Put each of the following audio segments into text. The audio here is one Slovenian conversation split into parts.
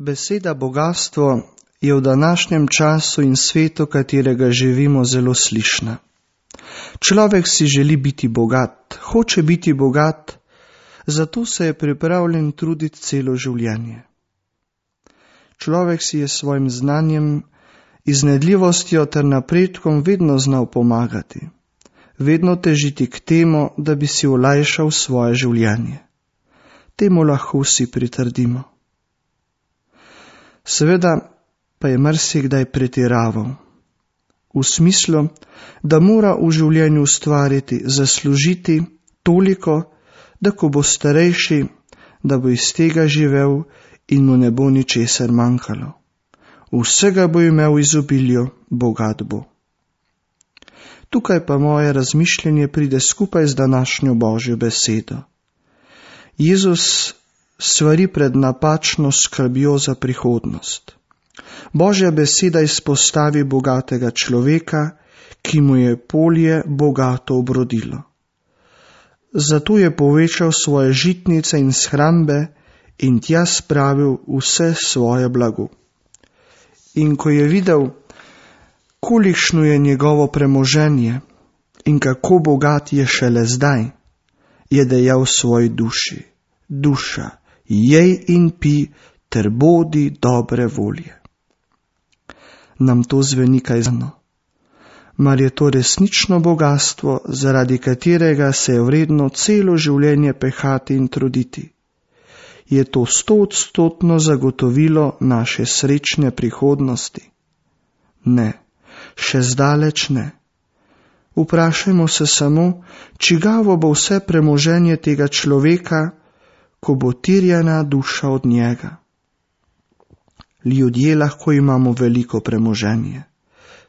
Beseda bogastvo je v današnjem času in svetu, katerega živimo, zelo slišna. Človek si želi biti bogat, hoče biti bogat, zato se je pripravljen truditi celo življenje. Človek si je s svojim znanjem, iznajdljivostjo ter napredkom vedno znal pomagati, vedno težiti k temu, da bi si olajšal svoje življenje. Temu lahko vsi pritrdimo. Seveda pa je marsikdaj pretiraval, v smislu, da mora v življenju ustvariti, zaslužiti toliko, da ko bo starejši, da bo iz tega živel in mu ne bo ničesar manjkalo. Vsega bo imel izobilju, bogat bo. Tukaj pa moje razmišljanje pride skupaj z današnjo Božjo besedo. Jezus svari pred napačno skrbjo za prihodnost. Božja beseda izpostavi bogatega človeka, ki mu je polje bogato obrodilo. Zato je povečal svoje žitnice in shrambe in tja spravil vse svoje blago. In ko je videl, kolikšno je njegovo premoženje in kako bogat je šele zdaj, je dejal svoji duši: duša, jej in pi ter bodi dobre volje. Nam to zveni kaj znano? Mar je to resnično bogatstvo, zaradi katerega se je vredno celo življenje pehati in truditi? Je to 100% zagotovilo naše srečne prihodnosti? Ne, še zdaleč ne. Vprašajmo se samo, čigavo bo vse premoženje tega človeka, ko bo terjana duša od njega. Ljudje lahko imamo veliko premoženje,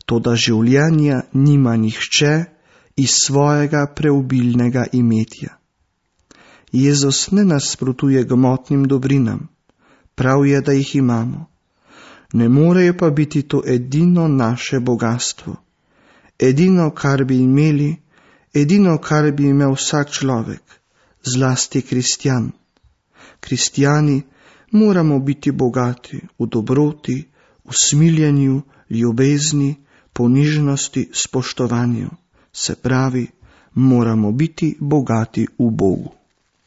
toda življenja nima nihče iz svojega preobilnega imetja. Jezus ne nasprotuje gmotnim dobrinam, prav je, da jih imamo. Ne morejo pa biti to edino naše bogatstvo, edino, kar bi imeli, edino, kar bi imel vsak človek, zlasti kristjan. Kristjani moramo biti bogati v dobroti, v smiljenju, ljubezni, ponižnosti, spoštovanju. Se pravi, moramo biti bogati v Bogu.